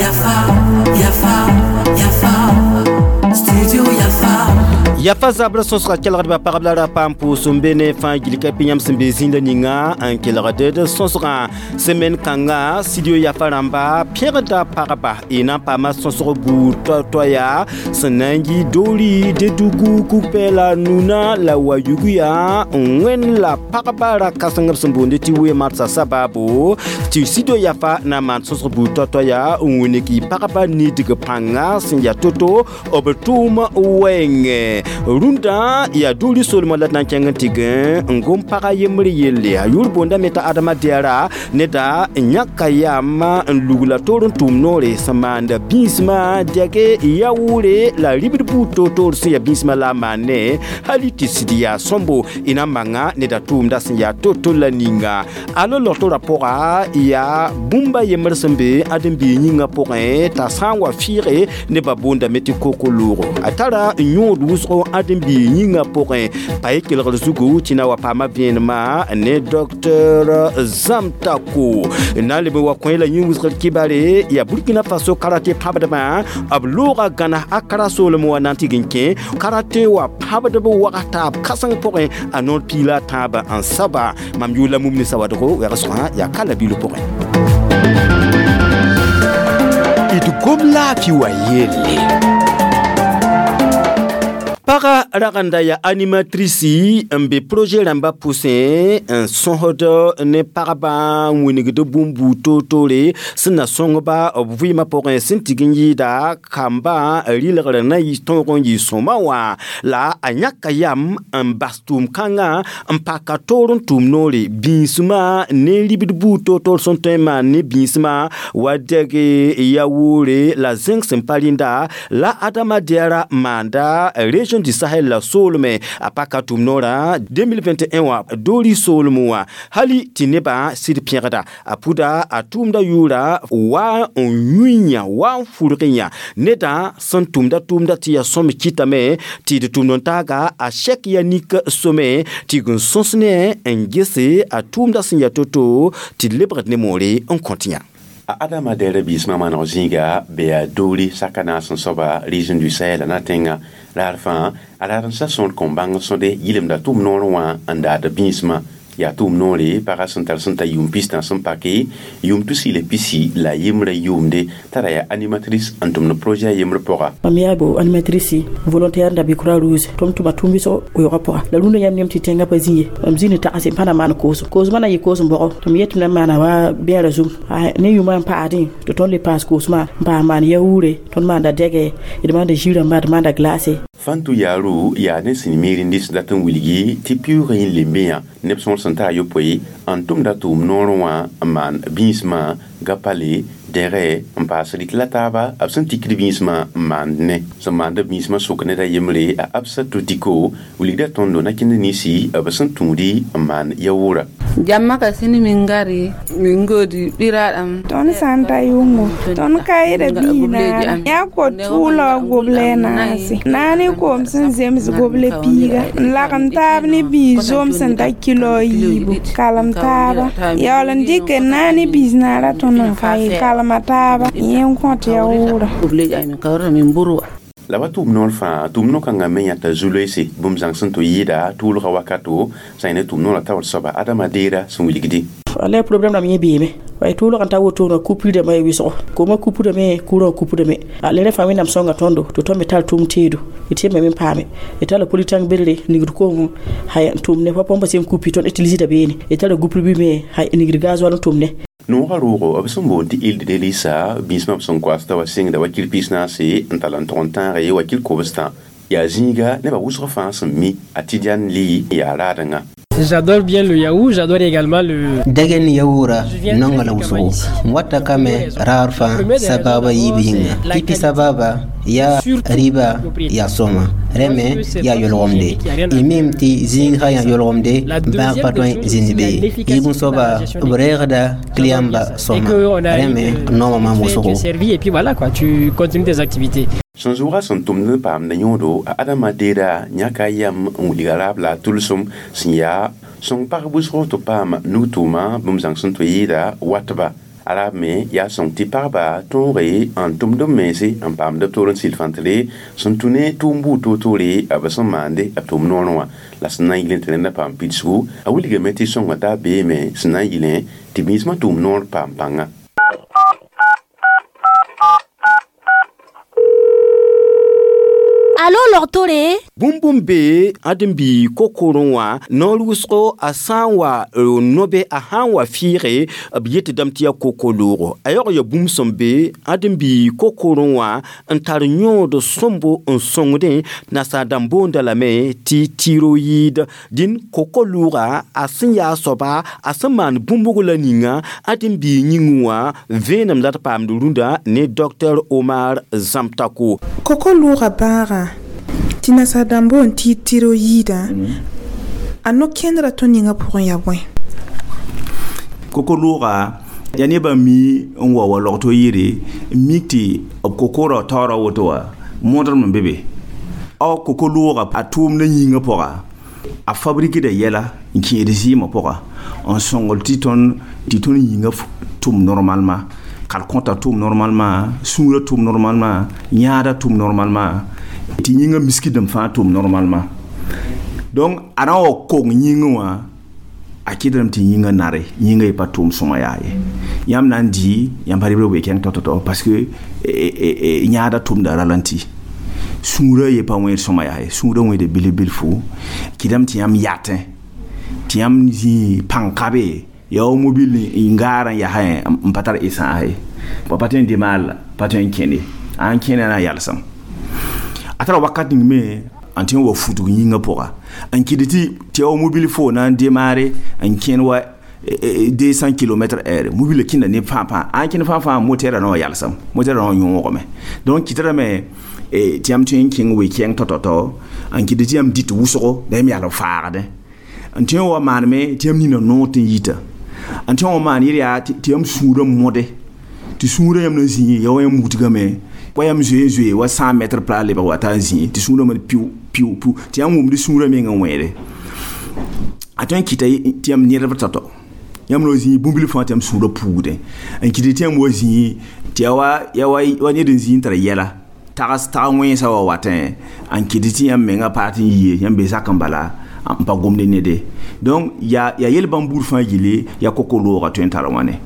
Yafa, Yafa, Yafa, Studio Yafa. Yafa zabra sõsga kelgdbã pagb la ra paam pʋʋs n be ne fãa gil ka pɩ yãmb sẽn be zĩnda ninga n kelgd d sõsgã semaine kãnga studio Yafa rãmba pẽgda pagba y na n paama sõsg buud toa-toaya sẽn na n yi Dori, Dedugu, Kukpɛ la Nuna la Wayuguya n wẽnd la pagba ra kãseng b sẽn boonde tɩ wee marsã sabaabo tɩ studio Yafa na n maan sõsg buud toa-toaya n wilg y pagba nidg pãnga sẽn yaa to-to b tʋʋm wɛɛngẽ. Rũndã yaa Dori soolmã la d na n kẽng n tɩ gẽ n gom pagã yembr yelle a yʋʋr boondame t'a Adama Diara neda n yãka yam n lugla toor n tʋʋm noore sẽn maanda bĩsmã dɛge yaoore la ribd buud toor-toor sẽn yaa bĩsmã la a maan ne hali tɩ sɩd yaa sõmbo y na n manga neda tʋʋmda sẽn yaa to-to la ninga. Alo logtorã pʋga yaa bũmba yembr sẽn be ãdem-biig yĩngã pʋgẽ t'a sã n wa fɩɩge nebã boondame tɩ koko loogo a tara n yõod wʋsgo ãdem-biig yĩngã pʋgẽ pa y kelgr zugu tɩ na wa paama vẽenemã ne docteur Zamtako na n leb n wa kõ la yĩn wʋsgr kibare yaa Burkina Faso karate pãbdbã b looga gãna a kara soolem wa na n tɩg n kẽ karate wa pãbdb wags taab kãseng pʋgẽ a noor piila a tãabã n saba mam yʋʋr la Mumni Sawadgo wɛgsgã yaa ka la bilf pʋgẽ. D gom laafɩ wa yelle. Paga ragenda yaa animatrice n be projet rãmbã pʋsẽ n sõsd ne pagba n wilgd bũmb buud toor-toore sẽn na sõngba b vɩɩmã pʋgẽ sẽn tig n yɩɩda kambã rɩlgr na yɩ tõog n yɩ sõma wã la a yãka yam n bas tʋʋm-kãngã n paka toor n tʋʋm noore bĩsmã ne ribd buud toor-toor sẽn tõe n maan ne bĩsmã wa dɛge yaoore la zẽng sẽn pa rẽnda la Adama Diara maanda région du Sahel la soolme a paka tʋʋm noorã 2021 wã Dori soolem wã hali tɩ nebã sɩd pẽgda a pʋda a tʋʋmda yʋʋra wa n yũyã wa n fʋrg yã nedã sẽn tʋmda tʋʋmda tɩ yaa sõm kɩtame tɩ d tʋmd n taaga a sɛk ya nik some tɩ g n sõs ne n gese a tʋʋmda sẽn yaa to-to tɩ d lebgd ne moore n kõt yã. A Adama Diarra biismã maneg zĩiga be yaa Dori saka naas n soaba région du Sahel la na tẽnga raar fãa a raademsã sõor kõn bãng sõde yɩlemda tʋʋm noor wã n daad bĩsmã yaa tʋʋm noore pagã sẽn tar sẽn ta yʋʋm pistã sẽn pake yʋʋm tusi la pisi la yembrã yʋʋmde t'a ra yaa animatrice n tʋmd projet a yembr pʋga. Mam yaa bo animatrice volontaire da be Croix Rouge tɩ m tʋma tʋʋm wʋsgo weoogã pʋga la rũndã yãmb nem tɩ tẽngã pa zĩ ye mam zĩ ne tagse n pa na maan koosem koosmã na n yɩ koosem bɔgɔ tɩ m yet tɩ m na n maana wa bɛɛrã zug ne yʋʋmã n paasdẽ tɩ tõnd le paas koosmã n paas maan yaoore tõnd maanda dɛgɛ d maanda zirãmba d maanda glace. Fantu yaaru yaa ne sẽn miirindis dat n wilgi tɩ piʋʋgã yẽ lembe yã neb sõor sẽn ta a yopoe n tʋmda tʋʋm noor wã n maan bĩsmã gapale dẽge n paas rɩk la taaba b sẽn tikd bĩsmã n maand ne sẽn maanda bĩsmã sʋk ned a yembre a Absa Totiko wilgda tõndo nakẽnd ninsi b sẽn tũudi n maan yaoora. Jamma ka sini min ngari min godi ɓiraɗam. Tõnd sã n ta yʋngo tõnd ka yɩda bii naare yaa ko-tʋʋlg goblɛ naase na ne koom sẽn zems goblɛ piiga n lagem taab ne biis zom sẽn ta kilo a yiibu kalem taaba yaool n dɩk n na ne biis naara tõnd n ka yɩ kalema taaba yẽ n kõt yaoora. Gobleji amin kawrata min mburwa. La wa tʋʋm noor fãa tʋʋm no-kãngã me yãta zu-loeese bũmb zãng sẽn tɩ yɩɩda tʋʋlgã wakato sã ne tʋʋm noorã taoor soaba Adama Deera sẽn wilgdi. Wala problème rãmb yẽ beeme wa tʋʋlg n ta wotone coupure dãmbã ya wɩsgo koomã kupdame kurã kupdame a le rẽ fãa wẽnnaam sõnga tõndo tɩ tõnd me tar tʋʋm teedo d tɩ me paame d tara politãng bedre nigd koomẽ hay n tʋm ne pa põmba sẽn kupi tõnd utilisda beene d tara gupr bɩ me hay nigd gasoil n tʋm ne. Noogã roogo b sẽn boond tɩ île de Delisa bĩsmã b sẽn koasda wa sɩngda wakil pis naase n tall n tog n tãage wakil kobstã yaa zĩiga nebã wʋsg fãa sẽn mi a Tidiane Li yaa raadengã. J'adore bien le yaourt, j'adore également le. Dɛgɛ ni yaoura nonga la wʋsgo n wata kame raar fãa sababa yiib yĩnga pipi sababa ya riba ya sõma rẽ me yaa yolgemde y mim tɩ zĩig sã yã yolgemde bãag pa tõe zĩnd be ye yiib n soaba b reegda client-ba sõma rẽ me nooma maam wʋsgo. Et puis voilà quoi, tu continues tes activités. Sẽn zʋʋga sẽn tʋmd n paamda yõodo a Adama Deera yãka yam n wilga raab la a tʋlsem sẽn yaa Sõng pag wʋsgo tɩ paam nug-tʋʋma bũmb zãng sẽn tɩ yɩɩda watba. Ala me yaa sõng tɩ pagba tõoge n tʋmd b mense n paamd b toor n sɩl fãntre sẽn tũ ne tʋʋm buud toor-toore b sẽn maande b tʋʋm noorẽ wã la sẽn na n yɩl tɩ rẽndã paam pidsgu a wilgame tɩ sõnga taa beeme sẽn na n yɩlẽ tɩ biismã tʋʋm noor paam pãnga. Alo logtore? Bũmb be ãdem-bi kokorẽ wã noor wʋsgo a sã n wa nobe a sã n wa fɩɩge b yetdame tɩ yaa koko-loogo a yaoog ya bũmb sẽn be ãdem-bi kokorẽ wã n tar yõod sõmbo n sõngdẽ nasaar dãmb boonda lame tɩ tiroyid dĩn koko-loogã a sẽn yaa soaba a sẽn maan bũmbg la ninga ãdem-bi yĩngẽ wã vẽenem la d paamd rũndã ne Dr Omar Zãmtako. Koko-loogã bãagã tɩ nasaar dãmb boond tɩ tiroyidã a no-kẽndrã tõnd yĩngã pʋgẽ yaa bõe? Koko-loogã yaa nebã mi n wa wa logto yɩɩre n mik tɩ b kokoorã taoora woto wã mõdr me be be a koko-loogã a tʋʋmdã yĩngã pʋga a fabrikda yɛla n kẽed zɩɩmã pʋga n sõngl tɩ tõnd yĩngã tʋm normalement kalkõta tʋm normalement sũurã tʋm normalement yãadã tʋm normalement tɩ yĩngã miskdem fãa tʋm normalement donc a na n wa kong yĩngã wã a kɩdrem tɩ yĩngã nare yĩngã ye pa tʋʋm sõma yaa ye yãmb na n dɩ yãmb pa rɩbrã wee-kẽng tao-tao parce que yãadã tʋmda ralenti sũurã ye pa wẽed sõma yaa ye sũurã wẽede bilf bilfu kɩdame tɩ yãmb yatẽ tɩ yãmb zĩ pãn-kabe yaa wa mobil n gaar n yasẽ n pa tar essence ye pa tõe n demaar la pa tõe n kẽne a n kẽne na n yalsem a tara wakat ning me n tõe n wa futg yĩngã pʋga n kɩd tɩ wa mobil fo na n demaare n kẽn wa 200 km heure mobil kẽnda ne fãa-fãa a n kẽnd fãa-fãa motɛɛrã na wa yalsem motɛɛrã na wa yõogame donc kɩtrame tɩ yãmb tõe n kẽng we-kɛɛng tao-tao n kɩd tɩ yãmb dɩt wʋsgo la yãmb yal n faagdẽ n tõe n wa maaneme tɩ yãmb nina noor tɩ n yita n tõe n wa maan yɩr yaa tɩ yãmb sũurã mode tɩ sũurã yãmb na zĩ ya wa yãmb wutgame wa yãmb zoe n zoe wa 100 mètre pla lebg wa t'a n zĩ tɩ sũurã me piu piu piu tɩ yãmb wʋmd sũurã meng n wẽede a tõe n kɩta tɩ yãmb nedb tao-tao yãmb na zĩ bũmb fãa tɩ yãmb sũurã puugdẽ n kɩt tɩ yãmb wa zĩ tɩ yaa wa ned n zĩ n tar yɛla tags tag wẽnsã wa watẽ n kɩt tɩ yãmb mengã paat n yie yãmb be zak n bala n pa gomd nede donc yaa yel bãmb buud fãa yelle yaa koko-loogã tõe n tar wãne.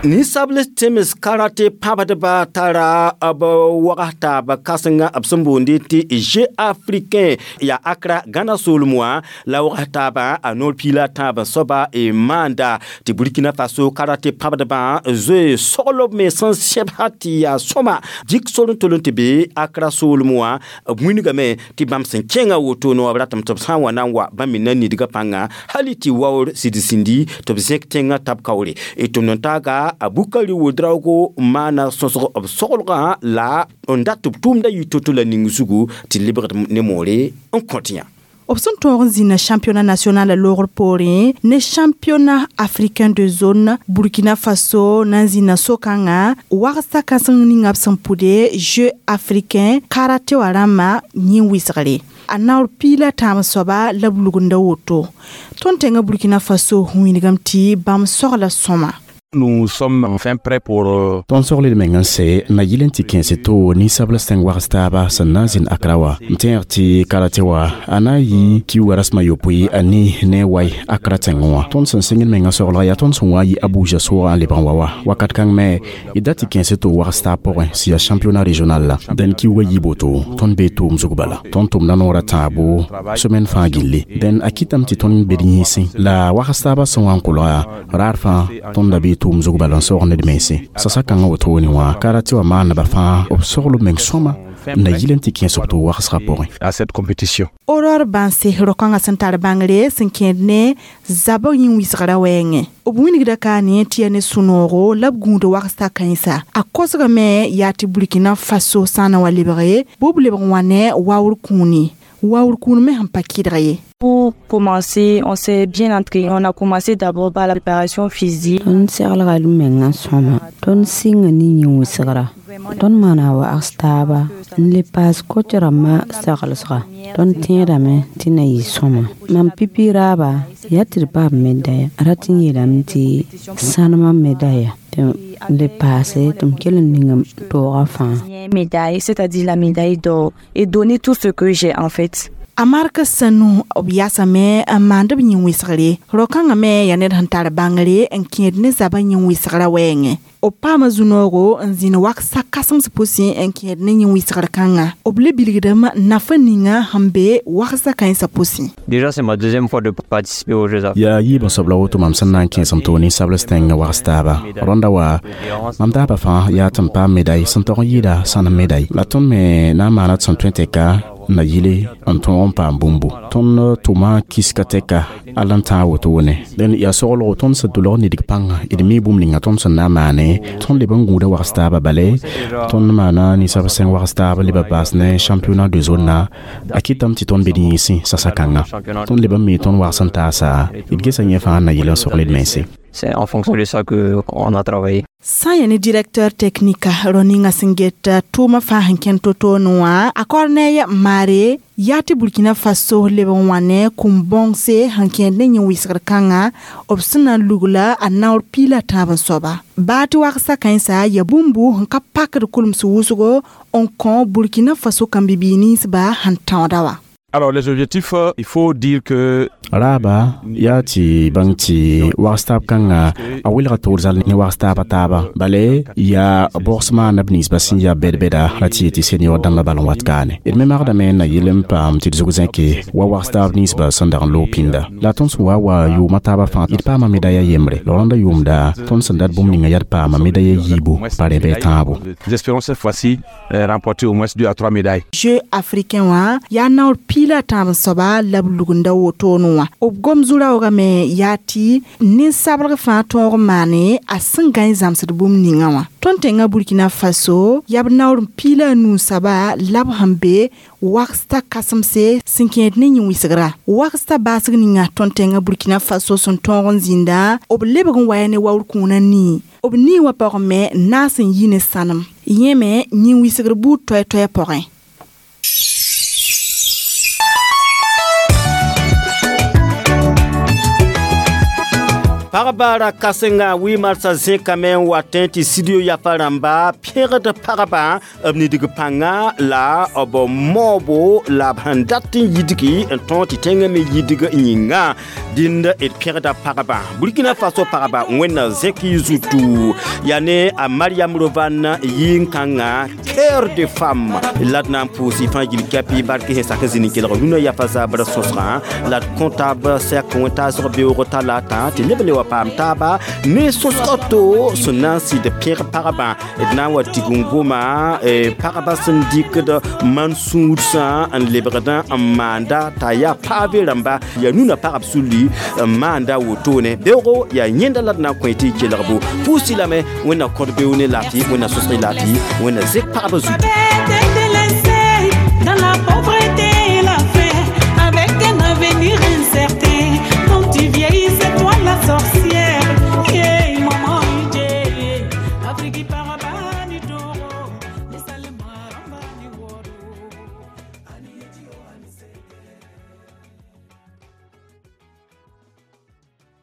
Ninsabl tẽms karate pãbdba tara b wags taab kãsenga b sẽn boonde tɩ Jeux africain yaa Accra Gãna soolem wã la wags taabã a noor piila tãab soaba y maanda tɩ Burkina Faso karate pãbdbã zoe soglob me sẽn sẽbsa tɩ yaa sõma dɩk sor n tol n tɩ be Accra soolem wã b wilgame tɩ bãmb sẽn kẽngã woto no b ratame tɩ b sã n wa na n wa bãmb me na nidgã pãnga hali tɩ waoor sɩd sĩndi tɩ b zẽk tẽngã tab kaoore tɩ n taaga a Bukari Ouedraogo maana sõsg b soglgã la n dat b tʋʋmda yɩ to-to la ning zugu tɩ lebgd ne moore n kõt yã. B sẽn tõog n zĩnna championnat national loogr poorẽ ne championnat africain de zone Burkina Faso na n zĩnna so-kãngã wagsa kãseng ninga b sẽn pʋde Jeux africain karate wã rãmbã yẽ wɩsgre a naoor piila tãab soaba la b lugunda woto tõnd tẽngã Burkina Faso wĩnigame tɩ bãmb sogla sõma. Nous sommes enfin prêts pour Tõnd sogled meng n sɛ na yɩl n tɩ kẽese to ninsabl sẽng wags taaba sẽn na n zĩnd Accra wa n tẽeg tɩ karate wa a na n yɩ kiuugã rasem a yopoe a ne wai Accra tẽngẽ wã tõnd sẽn sẽngd mengã soglga yaa tõnd sẽn wa n yɩ Abuja soogã n lebg n wa wa wakat kãng me d dat tɩ kẽese to wags taab pʋgẽ sẽn yaa championnat régional la dẽn kiuugã yɩ boto tõnd bee tʋʋm zug bala tõnd tʋmda noorã tãabo semaine fãa gilli dẽn a kɩtame tɩ tõnd bed yĩnsẽ la wags taabã sẽn wa n kolga raar fãa tõnd da bee tʋʋm zug bala n soog ned mense sasa kãngã wotone wã karate wã maaneba fãa b sogl meng sõma na yɩl n tɩ kẽes b tʋ wagsgã pʋgẽ. À cette compétition. Aurore Banse ro-kãngã sẽn tar bãngre sẽn kẽed ne zabg yĩn-wɩsgrã wɛɛngẽ b wilgda ka ne tɩ yaa ne sũ-noogo la b gũud wagsta kãensa a kosgame yaa tɩ Burkina Faso sã n na wa lebge bɩ b lebg n wa ne waoor kũuni Waoor kũun me sẽn pa kɩdg ye. Pour commencer, on s'est bien entraîné. On a commencé d'abord par la préparation physique. Tõnd seglga d mengã sõma. Tõnd sɩnga ne yĩn-wɩsgra. Tõnd maana wags taaba n le paas koc rãmbã seglsga. Tõnd tẽedame tɩ na yɩ sõma. Mam pipi raaba yaa tɩ d paam medaya. Rat n yeelame tɩ sãnemã medaya tɩ le paase tɩ m kell n ning m toogã fãa. Médaille, c'est-à-dire la médaille d'or, et donner tout ce que j'ai en fait. A mark sanu b yasame n maand b yĩn-wɩsgre. Rao-kãngã me yaa ned sẽn tar bãngre n kẽed ne zabã yĩn-wɩsgrã wɛɛngẽ. B paama zu-noogo n zĩnd waksa kãsems pʋsẽ n kẽed ne yĩn-wɩsgr kãnga. B le bilgdame nafa ninga sẽn be waksa kãensã pʋsẽ. Déjà, c'est ma deuxième fois de participer aux Jeux. Yaa yiib n soab la woto mam sẽn na n kẽesem toog ninsabls tẽngã wags taaba. Rõnda wa mam daaba fãa yaa tɩ m paam meday sẽn tog n yɩɩda sãnem meday. La tõnd me na n maana tɩ sẽn tõe tɛka na yile n tõog n paam bũmbu. Tõnd tʋma kiska tɛka all n tãag wotone. Dẽn yaa soglgo tõnd sẽn tʋlg nidg pãnga d mi bũmb ninga tõnd sẽn na n maane. Tõnd leb n gũuda wags taaba bale tõnd maana ninsab sẽng wags taaba leba baas ne championnat de zone na a kɩtame tɩ tõnd be d yĩnsẽ sasa kãnga. Tõnd leb n mi tõnd wags n taasa d gesa yẽ fãa n na yɩl n sogl d mense. C'est en fonction de ça qu'on a travaillé. Sã n yaa ne directeur technique rao ninga sẽn get tʋʋmã fãa sẽn kẽnd to-toone wã, a Corneille Mare yaa tɩ Burkina Faso leb n wã ne kũm-bõngse sẽn kẽed ne yĩn-wɩsgr kãnga b sẽn na n lugla a naoor piig la tãab n soaba. Baa tɩ wagsa kãensa yaa bũmbu sẽn ka pakd kulems wʋsgo n kõ Burkina Faso kãmb-bibiig ninsba sẽn tãooda wã. Alors les objectifs, il faut dire que Raaba yaa tɩ bãng tɩ wags taab kãnga a welga toor zal ne wags taaba taaba bale yaa bogs maana b ninsba sẽn yaa bɛd-bɛda ra tɩ yetɩ senior dãmbã bal n wat kaane. D me magdame n na yɩl n paam tɩ d zug zẽke wa wags taab ninsba sẽn dag n loog pĩnda. La tõnd sẽn wa wa yʋʋmã taabã fãa d paama medaya yembre. La rõnda yʋʋmda tõnd sẽn dat bũmb ninga yaa d paama medaya yiibu pa rẽ bɩ tãabo. Nous espérons cette fois-ci remporter au moins 2 à 3 médailles. Jeux africains wã yaa naoor piig la tãab n soaba la b lugunda wotone wã. B gom zu-raoogame yaa tɩ nin-sablg fãa tõog n maane a sẽn gãe zãmsd bũmb ninga wã. Tõnd tẽngã Burkina Faso yaa b naoor n piig la a nuu soaba la b sẽn be waksta kãsemse sẽn kẽed ne yĩn-wɩsgra. Waksta baasg ninga tõnd tẽngã Burkina Faso sẽn tõog n zĩnda b lebg n waya ne waoor kũunã nii. B nii wã pʋgẽ me naas n yi ne sãnem. Yẽ me yĩn-wɩsgr buud toɛ-toɛ pʋgẽ. Pagba ra kãsenga wi marsã zẽkame n wa tẽ tɩ studio yafa rãmba pẽgd pagba b nidg pãnga la b maoobo la b sẽn dat n yidgi n tõog tɩ tẽngã me yidg yĩnga. Dĩnd d pẽgda pagba Burkina Faso pagba wẽnna zẽk y zutu yaa ne a Mariam Rovan yɩ-kãngã cœur de femme la d na n pʋʋs y fãa gil kɛpɩ bark sẽn sak n zĩnd n kelg rũnã yafa zabr sõsgã la d kõtab sɛk wẽntaasg beoog talata tɩ neb le wa paam taaba ne sõsg to sẽn na n sɩd pẽg pagba d na n wa tigim goma pagba sẽn dɩkd man-sũudsã n lebgdã n maanda t'a yaa paave rãmba yaa nuna pagb sulli n maanda wotone. Beoogo yaa yẽnda la d na n kõ tɩ y kelgbo pʋʋs-y lame wẽnna kõt beoog ne laafɩ wẽnna sõsg y laafɩ wẽnna zek pagba zutu. Dans la pauvreté.